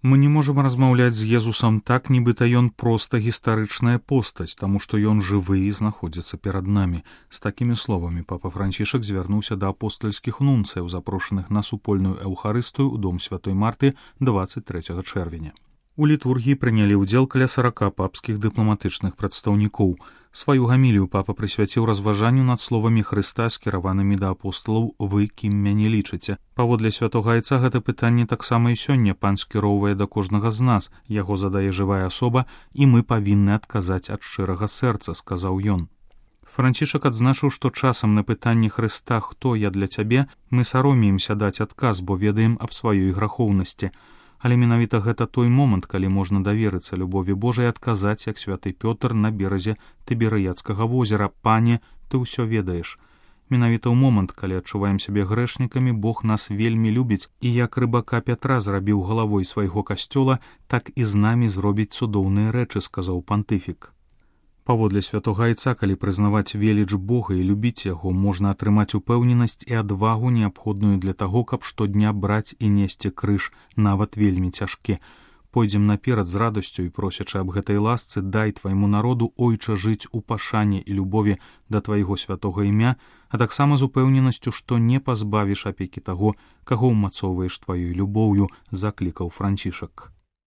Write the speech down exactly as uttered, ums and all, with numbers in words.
Мы не можам размаўляць з Езусам так, нібыта ён проста гістарычная постаць, таму што ён жывы і знаходзіцца перад намі. З такімі словамі папа Францішак звярнуўся да апостальскіх нунцыяў, запрошаных на супольную эўхарыстыю ў дом святой Марты дваццаць трэцяга чэрвеня. У літургіі прынялі ўдзел каля сарака папскіх дыпламатычных прадстаўнікоў. Сваю гамілію папа прысвяціў разважанню над словамі Хрыста, скіраванымі да апосталаў «Вы, кім мяне лічыце». Паводле святога айца гэта пытанне таксама і сёння пан скіроўвае да кожнага з нас, яго задае жывая асоба, і мы павінны адказаць ад шчырага сэрца, сказаў ён. Францішак адзначыў, што часам на пытанне Хрыста «Хто я для цябе?» мы саромеемся даць адказ, бо ведаем аб сваёй грахоўнасці. Але менавіта гэта той момант, калі можна даверыцца любові Божай і адказаць, як святы Пётр на беразе Тыберыядскага возера: «Пане, ты ўсё ведаеш». Менавіта ў момант, калі адчуваем сябе грэшнікамі, Бог нас вельмі любіць, і як рыбака Пятра зрабіў галавой свайго касцёла, так і з намі зробіць цудоўныя рэчы, сказаў пантыфік. Паводле святога айца, калі прызнаваць веліч Бога і любіць яго, можна атрымаць упэўненасць і адвагу, неабходную для таго, каб штодня браць і несці крыж, нават вельмі цяжкі. Пойдзем наперад з радасцю і просячы аб гэтай ласцы: дай твайму народу, ойча, жыць у пашане і любові да твайго святога імя, а таксама з упэўненасцю, што не пазбавіш апекі таго, каго ўмацоўваеш тваёй любоўю, заклікаў Францішак.